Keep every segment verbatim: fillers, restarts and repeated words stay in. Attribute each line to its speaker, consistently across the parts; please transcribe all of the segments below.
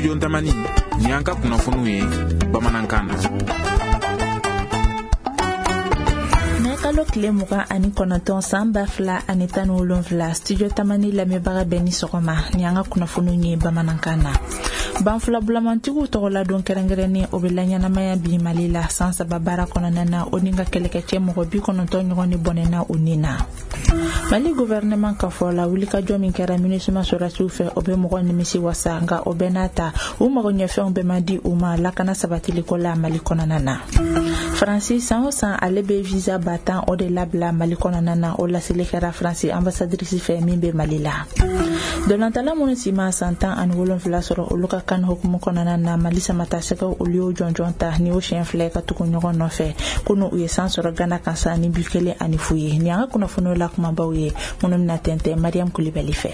Speaker 1: Studio Tamani, ni an ka kunnafoniw ye bamanankan na.
Speaker 2: Kalo tile mugan ani kɔnɔntɔn san ba fila ani tan ni wolonfila, Studio Tamani lamɛnbaga bɛɛ ni sɔgɔma, ni an ka kunnafoniw ye bamanankan na. Banfula bulamantigiw tɔgɔladon kɛrɛnkɛrɛnnen o bɛ laɲɛnamaya bi Mali la san saba baara kɔnɔna na, o ni ka kɛlɛkɛcɛ mɔgɔ bi kɔnɔntɔn ɲɔgɔn ni bɔnɛna u ni na. Mali gouvernement ka fɔ la, wulikajɔ min kɛra MINUSMA sɔrɔdasiw fɛ, o bɛ mɔgɔ nimisi wasa, nka o bɛɛ n'a ta u mago ɲɛfɛnw bɛɛ ma di u ma lakana sabatiliko la Mali kɔnɔna na. Faransi san o san ale bɛ visa ba tan o de labila Mali kɔnɔna na, o laseli kɛra Faransi ambassadrice fɛ min bɛ Mali la. Dolantala minnu si ma san tan ani wolonfila sɔrɔ, olu ka kan hukumu kɔnɔna na, Mali samatasɛgɛw olu y'o jɔnjɔn ta ni o siɲɛ fila ka tugu ɲɔgɔn nɔfɛ. Kunu u ye san sɔrɔ Gana kan sa ni bi kelen ani fu ye. Ni an ka kunnafoniw la kumabaw ye minnu bɛna tɛntɛn Mariam Kulibali fɛ.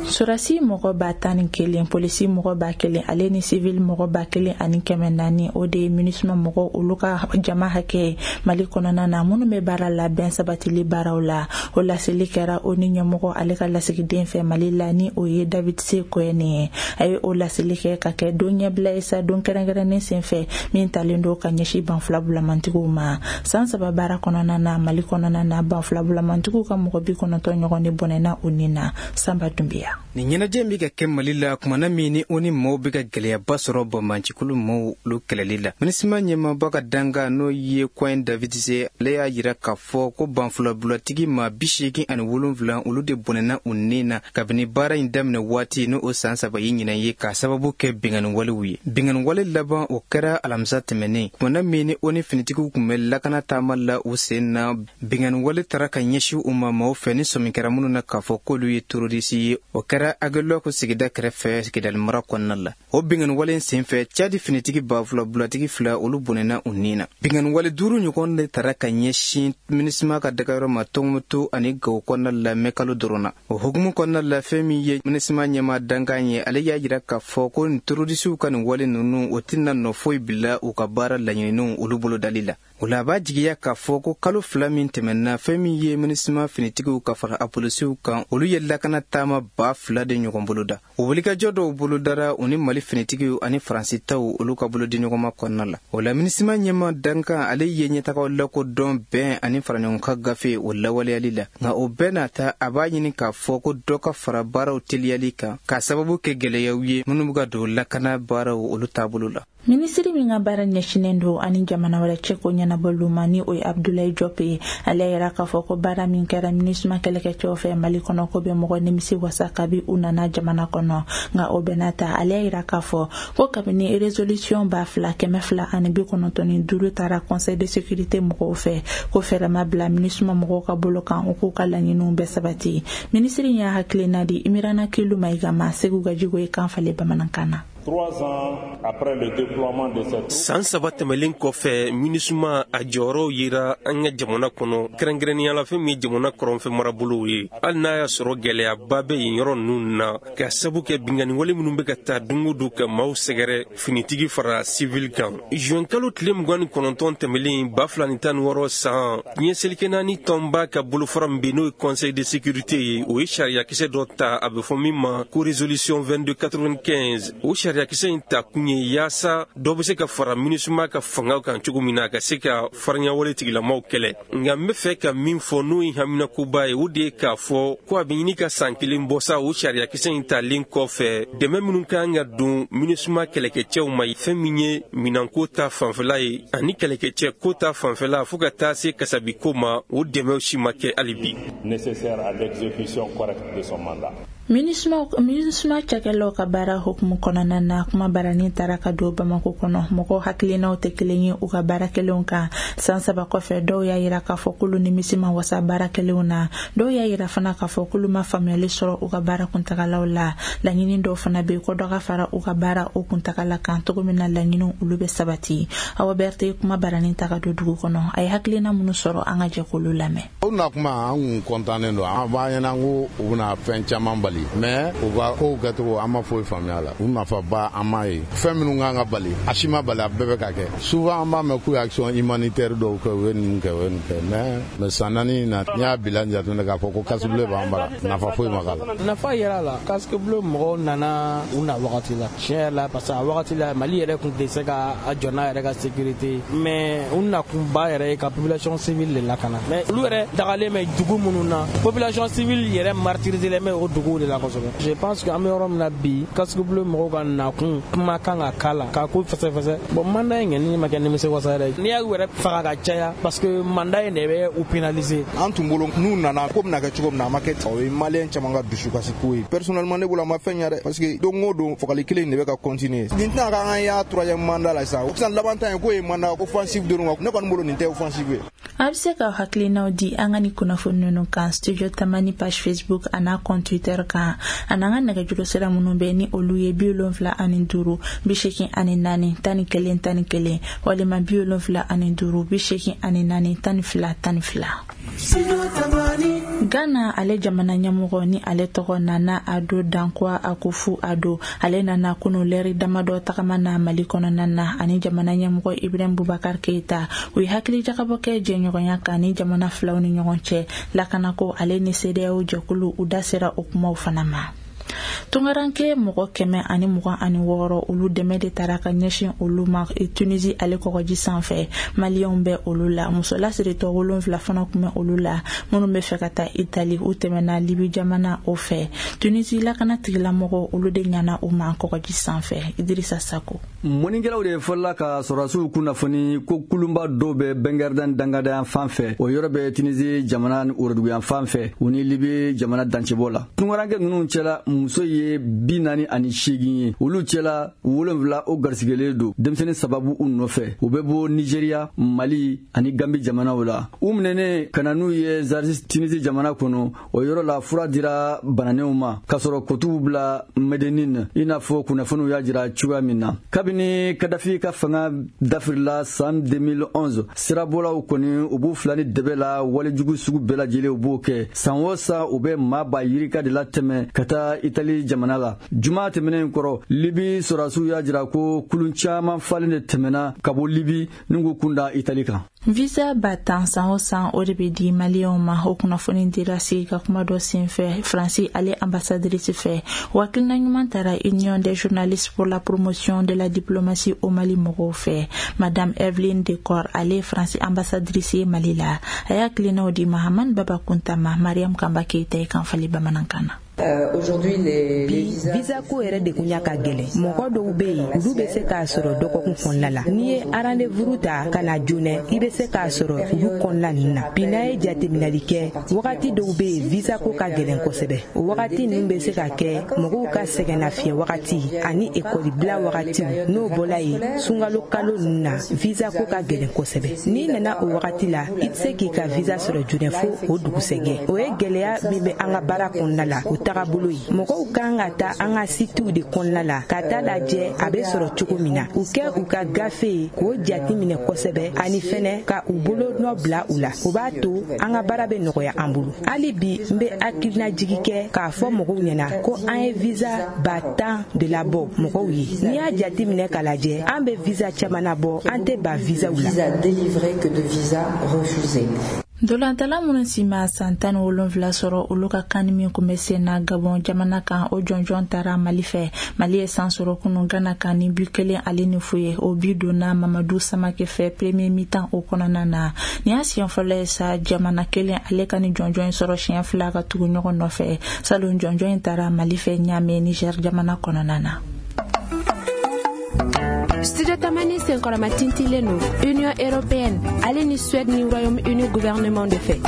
Speaker 2: Sɔrɔdasi mɔgɔ ba tan ni kelen, polisi mɔgɔ ba kelen, ale ni civil mɔgɔ ba kelen ani kɛmɛ naani, o de ye MINUSMA mɔgɔ olu ka jama hakɛ Mali kɔnɔna na minnu bɛ baara la bɛn sabatili baaraw la. O laseli kɛra o ni ɲɛmɔgɔ ale ka lasigiden fɛ Mali la, ni o ye David C. Cohen ye. A ye o laseli kɛ ka kɛ don ɲɛbila ye sa, don kɛrɛnkɛrɛnnen senfɛ min talen don ka ɲɛsin banfula bulamantigiw ma. San saba baara kɔnɔna na Mali kɔnɔna na, banfula bulamantigiw ka mɔgɔ bi kɔnɔntɔn ɲɔgɔn de bɔnɛna u ni na. Sanba Dunbiya.
Speaker 3: Nin ɲɛnajɛ bɛ ka kɛ Mali la kumana min ni o ni maaw bɛ ka gɛlɛyaba sɔrɔ banbaancikulu maaw olu kɛlɛli la. MINUSMA ɲɛmaaba ka danga n'o ye Cohen David C, ale y'a jira k'a fɔ ko banfulabulatigi maa bi seegin ani wolonfila olu de bɔnɛna u ni na kabini baara in daminɛ waati, n'o o san saba ye ɲinan ye, k'a sababu kɛ binkanni walew ye. Binkanni wale laban o kɛra alamisa tɛmɛnen, kumana min ni o ni finitigiw tun bɛ lakana taama la u sen na. Binkanni wale taara ka ɲɛsin u ma maaw fɛ ni sɔmi kɛra minnu na k'a fɔ k'olu ye terroriste ye. O kɛra Aguelhok sigida kɛrɛfɛ Kidali mara kɔnɔna la. O binkanni wale in senfɛ, Tchad finitigi ba fila bulatigi fila olu bɔnɛna u ni na. Binkanni wale duuru ɲɔgɔn de taara ka ɲɛsin MINUSMA ka dagayɔrɔ ma Tɔnbukutu ani Gawo kɔnɔna la mɛ kalo dɔrɔn na. O hukumu kɔnɔna la, fɛn min ye MINUSMA ɲɛmaa dankan ye, ale y'a jira k'a fɔ ko nin terrorisiw ka nin wale ninnu o tɛna nɔ foyi bila u ka baara laɲininiw olu bolodali la. O la a b'a jigiya k'a fɔ ko kalo fila min tɛmɛna, fɛn min ye MINUSMA finitigiw ka fara a polisiw kan, olu ye lakana taama ba fila de ɲɔgɔn boloda. O wulikajɔ dɔw bolodara u ni Mali finitigiw ani Faransi taw olu ka bolodiɲɔgɔnma kɔnɔna la. O la MINUSMA ɲɛmaa dankan ale ye ɲɛtagaw lakodɔn bɛn ani faraɲɔgɔnkan gafe o lawaleyali la, nka o bɛɛ n'a ta a b'a ɲini k'a fɔ ko dɔ ka fara baaraw teliyali kan k'a sababu kɛ gɛlɛyaw ye minnu bɛ ka don lakana baaraw olu taabolo la.
Speaker 2: Minisiri min ka baara ɲɛsinnen don ani jamana wɛrɛ cɛko ɲɛnabɔliw ma, ni o ye Abdoulaye Diop ye, ale yɛrɛ k'a fɔ ko baara min kɛra MINUSMA kɛlɛkɛcɛw fɛ Mali kɔnɔ, ko bɛ mɔgɔ nimisi wasa kabi u nana jamana kɔnɔ. Nka o bɛɛ n'a ta, ale y'a yira k'a fɔ ko kabini résolution ba fila kɛmɛ fila ani bi kɔnɔntɔn ni duuru taara Conseil de sécurité mɔgɔw fɛ, ko fɛɛrɛ ma bila MINUSMA mɔgɔw ka bolo kan u k'u ka laɲiniw bɛɛ sabati. Minisiri y'a hakilina di Imirana Kilu Mayiga ma, Segu Gajigo ye kan falen bamanankan na.
Speaker 4: San saba tɛmɛlen kɔfɛ, MINUSMA a jɔyɔrɔ yira an ka jamana kɔnɔ, kɛrɛnkɛrɛnnenya la fɛn min ye jamana kɔrɔnfɛ marabolow ye. Hali n'a y'a sɔrɔ gɛlɛyaba bɛ yen yɔrɔ ninnu na, ka sabu kɛ binkanni wale minnu bɛ ka taa don o don ka maaw sɛgɛrɛ, finitigi fara civil kan. Juin kalo tile mugan ni kɔnɔntɔn tɛmɛlen ba fila ni tan ni wɔɔrɔ san, diɲɛ seleke naani tɔnba ka bolofara min bɛ n'o ye Conseil de sécurité ye, o ye sariyakisɛ dɔ ta a bɛ fɔ min ma ko résolution vingt-deux quatre-vingt-quinze. O sariyakisɛ in ta kun ye yaasa dɔ bɛ se ka fara MINUSMA ka fangaw kan cogo min na, a ka se ka farinyawale tigilamaw kɛlɛ. Nka n bɛ fɛ ka min fɔ n'o ye haminakoba ye, o de ye k'a fɔ ko a bɛ ɲini ka san kelen bɔ sa o sariyakisɛ in talen kɔfɛ, dɛmɛ minnu kan ka don MINUSMA kɛlɛkɛcɛw ma, fɛn min ye minɛnko ta fanfɛla ye ani kɛlɛkɛcɛ ko ta fanfɛla fo ka taa se kasabiko ma, o dɛmɛw si ma kɛ hali bi.
Speaker 5: Nécessaire à l'exécution correcte de son mandat.
Speaker 2: MINUSMA cakɛlaw ka baara hukumu kɔnɔna na, kuma baranin taara ka don Bamako kɔnɔ. Mɔgɔw hakilinaw tɛ kelen ye u ka baara kɛlenw kan. San saba kɔfɛ, dɔw y'a yira k'a fɔ k'olu nimisi ma wasa baara kɛlenw na, dɔw y'a yira fana k'a fɔ k'olu ma faamuyali sɔrɔ u ka baara kuntagalaw la. Laɲini dɔw fana bɛ yen ko dɔ ka fara u ka baara o kuntagala kan cogo min na laɲiniw olu bɛ sabati. Awa Berthe, kuma baranin ta ka don dugu kɔnɔ, a ye hakilina minnu sɔrɔ, an ka jɛ k'olu lamɛn.
Speaker 6: O na kuma an kun kɔntannen don, an b'a ɲɛna ko u bɛna fɛn caman bali. bali, mais u ka kow kɛcogo an ma foyi faamuya la. U nafaba an m'a ye. Fɛn minnu kan ka bali, a si ma bali, a bɛɛ bɛ ka kɛ. Souvent an b'a mɛn k'u ye action humanitaire dɔw kɛ, u ye ninnu kɛ, u ye nin kɛ, mais mais san naani in na, n'i y'a bilan jateminɛ k'a fɔ ko casque bleu b'an bara, nafa foyi ma k'a la.
Speaker 7: Nafa yɛrɛ la, casque bleu mɔgɔw nana u na wagati la. Tiɲɛ yɛrɛ la, parce que a wagati la Mali yɛrɛ tun tɛ se ka a jɔ n'a yɛrɛ ka sécurité, mais u nakunba yɛrɛ ye ka population civile de lakana. Mais olu yɛrɛ dagalen bɛ dugu minnu na, population civile yɛrɛ martyrisé bɛ o duguw de la kosɛbɛ. Je pense que an bɛ yɔrɔ min na bi, casque bleu mɔgɔw ka nakun kuma kan ka k'a la k'a ko fɛsɛfɛsɛ. Bon, mandat in kɔni ma kɛ nimisiwasa yɛrɛ ye. N'i y'a yɛrɛ faga ka caya, parce que mandat in de bɛ u pénaliser.
Speaker 8: An tun bolo n'u nana ko bɛna kɛ cogo min na, a ma kɛ ten. O ye maliyɛn caman ka dusukasi ko ye. Personnellement ne bolo a ma fɛn ɲɛ dɛ, parce que don o don fagali kelen in de bɛ ka continuer. Nin tɛna k'an ka y'a troisième mandat la sisan. Sisan laban ta in k'o ye mandat offensive dɔrɔn wa, ne kɔni bolo nin tɛ offensive ye.
Speaker 2: A bɛ se ka hakilinaw di an ka ni kunnafoni ninnu kan Studio Tamani page Facebook a n'a compte Twitter kan, a n'an ka nɛgɛjuru sira minnu bɛ ni olu ye bi wolonfila ani duuru bi seegin ani naani tan ni kelen tan ni kelen walima bi wolonfila ani duuru bi seegin ani naani tan ni fila tan ni fila. Ghana ale jamana ɲɛmɔgɔ ni ale tɔgɔ Nana Addo Dankwa Akufo-Addo, ale nana kunu lɛri damadɔ tagama na Mali kɔnɔna na ani jamana ɲɛmɔgɔ Ibrahim Boubacar Keita. U ye hakili jagabɔ kɛ jɛɲɔgɔnya kan ni jamana filaw ni ɲɔgɔn cɛ lakanako ale ni CEDEAO jɛkulu, u da sera o kumaw fana ma. Tungaranke mɔgɔ kɛmɛ ani mugan ani wɔɔrɔ olu dɛmɛ de taara ka ɲɛsin olu ma Tunisie ale kɔgɔji sanfɛ. Maliyɛnw bɛ olu la, muso lasiritɔ wolonfila fana tun bɛ olu la minnu bɛ fɛ ka taa Itali, u tɛmɛna Libi jamana o fɛ. Tunisie lakana tigilamɔgɔw olu de ɲana u ma kɔgɔji sanfɛ. Idrissa Sako.
Speaker 9: Mɔnikɛlaw de fɔlɔla ka sɔrɔdasiw kunnafoni ko kulunba dɔw bɛ Bɛngɛrɛdɛn dangadenya fan fɛ, o yɔrɔ bɛ Tunisie jamana ni woroduguyan fan fɛ, u ni Libi jamana dancɛbɔ la. Tungaranke ninnu cɛla muso ye bi naani ani seegin ye, olu cɛla wolonfila o garisigɛlen don denmisɛnnin sababu u nɔfɛ. U bɛ bɔ Nigeriya, Mali ani Gambi jamanaw la. U minɛnen ka na n'u ye Zaris Tunisie jamana kɔnɔ, o yɔrɔ la fura dira bananenw ma k'a sɔrɔ kotuw bila Medenine, i n'a fɔ kunnafoniw y'a jira cogoya min na. Kabini Kadafi ka fanga dafirila san deux mille onze, sirabɔlaw kɔni u b'u fila ni dɛbɛ la walejugu sugu bɛɛ lajɛlen u b'o kɛ. San o san u bɛ maa ba yirika de latɛmɛ ka taa Itali jamana la. Juma tɛmɛnen kɔrɔ, Libi sɔrɔdasiw y'a jira ko kulun caman falen de tɛmɛna ka bɔ Libi ni k'u kun da Itali kan.
Speaker 2: Visa ba tan san o san o de bɛ di maliyɛnw ma. O kunnafoni dira sigi ka kuma dɔ senfɛ Faransi ale ambassadrice fɛ. O hakilina ɲuman taara Union des journalistes pour la promotion de la diplomatie au Mali mɔgɔw fɛ. Madame Evelyne Decor ale Faransi ambassadrice ye Mali la. A y'a hakilinaw di Mahamani Baba Kunta ma, Mariam Kamba Keita ye kan fali bamanankan na.
Speaker 10: Bi visa ko yɛrɛ de kun y'a ka gɛlɛn. Mɔgɔ dɔw bɛ yen, olu bɛ se k'a sɔrɔ dɔgɔkun kɔnɔna la. N'i ye rendez-vous ta ka na joona, i bɛ se k'a sɔrɔ olu kɔnɔna ninnu na. Bi n'a ye jateminɛli kɛ, wagati dɔw bɛ yen visa ko ka gɛlɛn kosɛbɛ. O wagati ninnu bɛ se ka kɛ mɔgɔw ka sɛgɛnnafiɲɛ wagati ani ekɔlibila wagatiw. N'o bɔla yen, sunkalo kalo ninnu na visa ko ka gɛlɛn kosɛbɛ. N'i nana o wagati la, i tɛ se k'i ka visa sɔrɔ joona fo o dugusɛjɛ. O ye gɛlɛya min bɛ an ka baara kɔnɔna la, o tagabolo ye. Mɔgɔw kan ka taa an ka sitiw de kɔnɔna la ka taa lajɛ a bɛ sɔrɔ cogo min na. U kɛ u ka gafe ye k'o jate minɛ kosɛbɛ, ani fɛnɛ ka u bolo nɔ bila u la. O b'a to an ka baara bɛ nɔgɔya an bolo. Hali bi n bɛ hakilinajigi kɛ k'a fɔ mɔgɔw ɲɛna ko an ye visa ba tan de labɔ mɔgɔw ye. N'i y'a jate minɛ k'a lajɛ, an bɛ visa caman labɔ, an tɛ ba visaw la.
Speaker 2: Dolantala minnu si ma san tan ni wolonfila sɔrɔ, olu ka kan min kun bɛ sen na Gabon jamana kan, o jɔnjɔn taara Mali fɛ. Mali ye san sɔrɔ kunun Gana kan ni bi kelen ale ni fu ye. O bi donna Mamadu Samake fɛ premier mi-temps o kɔnɔna na. Nin y'a siɲɛ fɔlɔ ye sa jamana kelen ale ka ni jɔnjɔn in sɔrɔ siɲɛ fila ka tugu ɲɔgɔn nɔfɛ. Salon jɔnjɔn in taara Mali fɛ Ɲame Niger jamana kɔnɔna na.
Speaker 11: Studio Tamani senkɔrɔma tintilen don Union européenne ale ni Suède ni Royaume-Uni gouvernement de fɛ.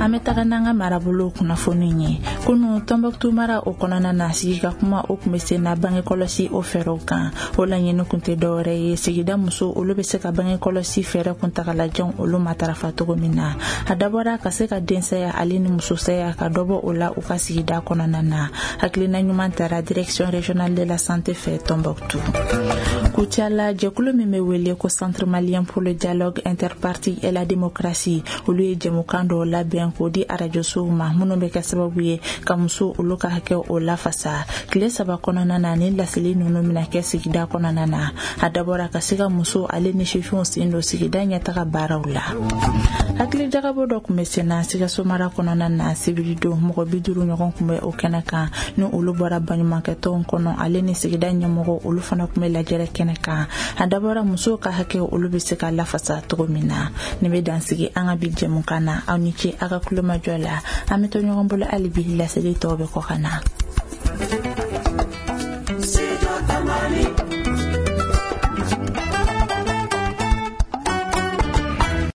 Speaker 2: An bɛ taga n'an ka marabolo kunnafoni ye. Kunu Tɔnbɔkutu mara o kɔnɔna na, sigi ka kuma o kun bɛ sen na bange kɔlɔsi o fɛɛrɛw kan. O laɲini kun tɛ dɔwɛrɛ ye, sigida muso olu bɛ se ka bange kɔlɔsi fɛɛrɛ kuntagalajanw olu matarafa cogo min na. A dabɔra ka se ka densaya ale ni musosaya ka dɔ bɔ o la u ka sigida kɔnɔna na. Hakilina ɲuman taara direction régionale de la santé fɛ Tɔnbɔkutu. Kucala, jɛkulu min bɛ wele ko Centre malien pour le dialogue interparti et la démocratie, olu ye jɛmukan dɔw labɛn k'o di arajosow ma, minnu bɛ kɛ sababu ye ka muso olu ka hakɛ o lafasa. Tile saba kɔnɔna na, ni laseli ninnu bɛna kɛ sigida kɔnɔna na. A dabɔra ka se ka muso ale ni sifinw sen don sigida ɲɛtaga baaraw la. Hakili jagabɔ dɔ tun bɛ senna Sikaso mara kɔnɔna na sibiridon. Mɔgɔ bi duuru ɲɔgɔn tun bɛ o kɛnɛ kan, ni olu bɔra baɲumankɛtɔnw kɔnɔ, ale ni sigida ɲɛmɔgɔ, olu fana tun bɛ lajɛrɛ kɛnɛ kan. A dabɔra musow ka hakɛ olu bɛ se ka lafasa cogo min na. Nin bɛ dansigi an ka bi jɛmukan na. Aw ni ce aw ka kulomajɔ la. An bɛ to ɲɔgɔn bolo hali bi, laseli tɔw bɛ kɔ ka na.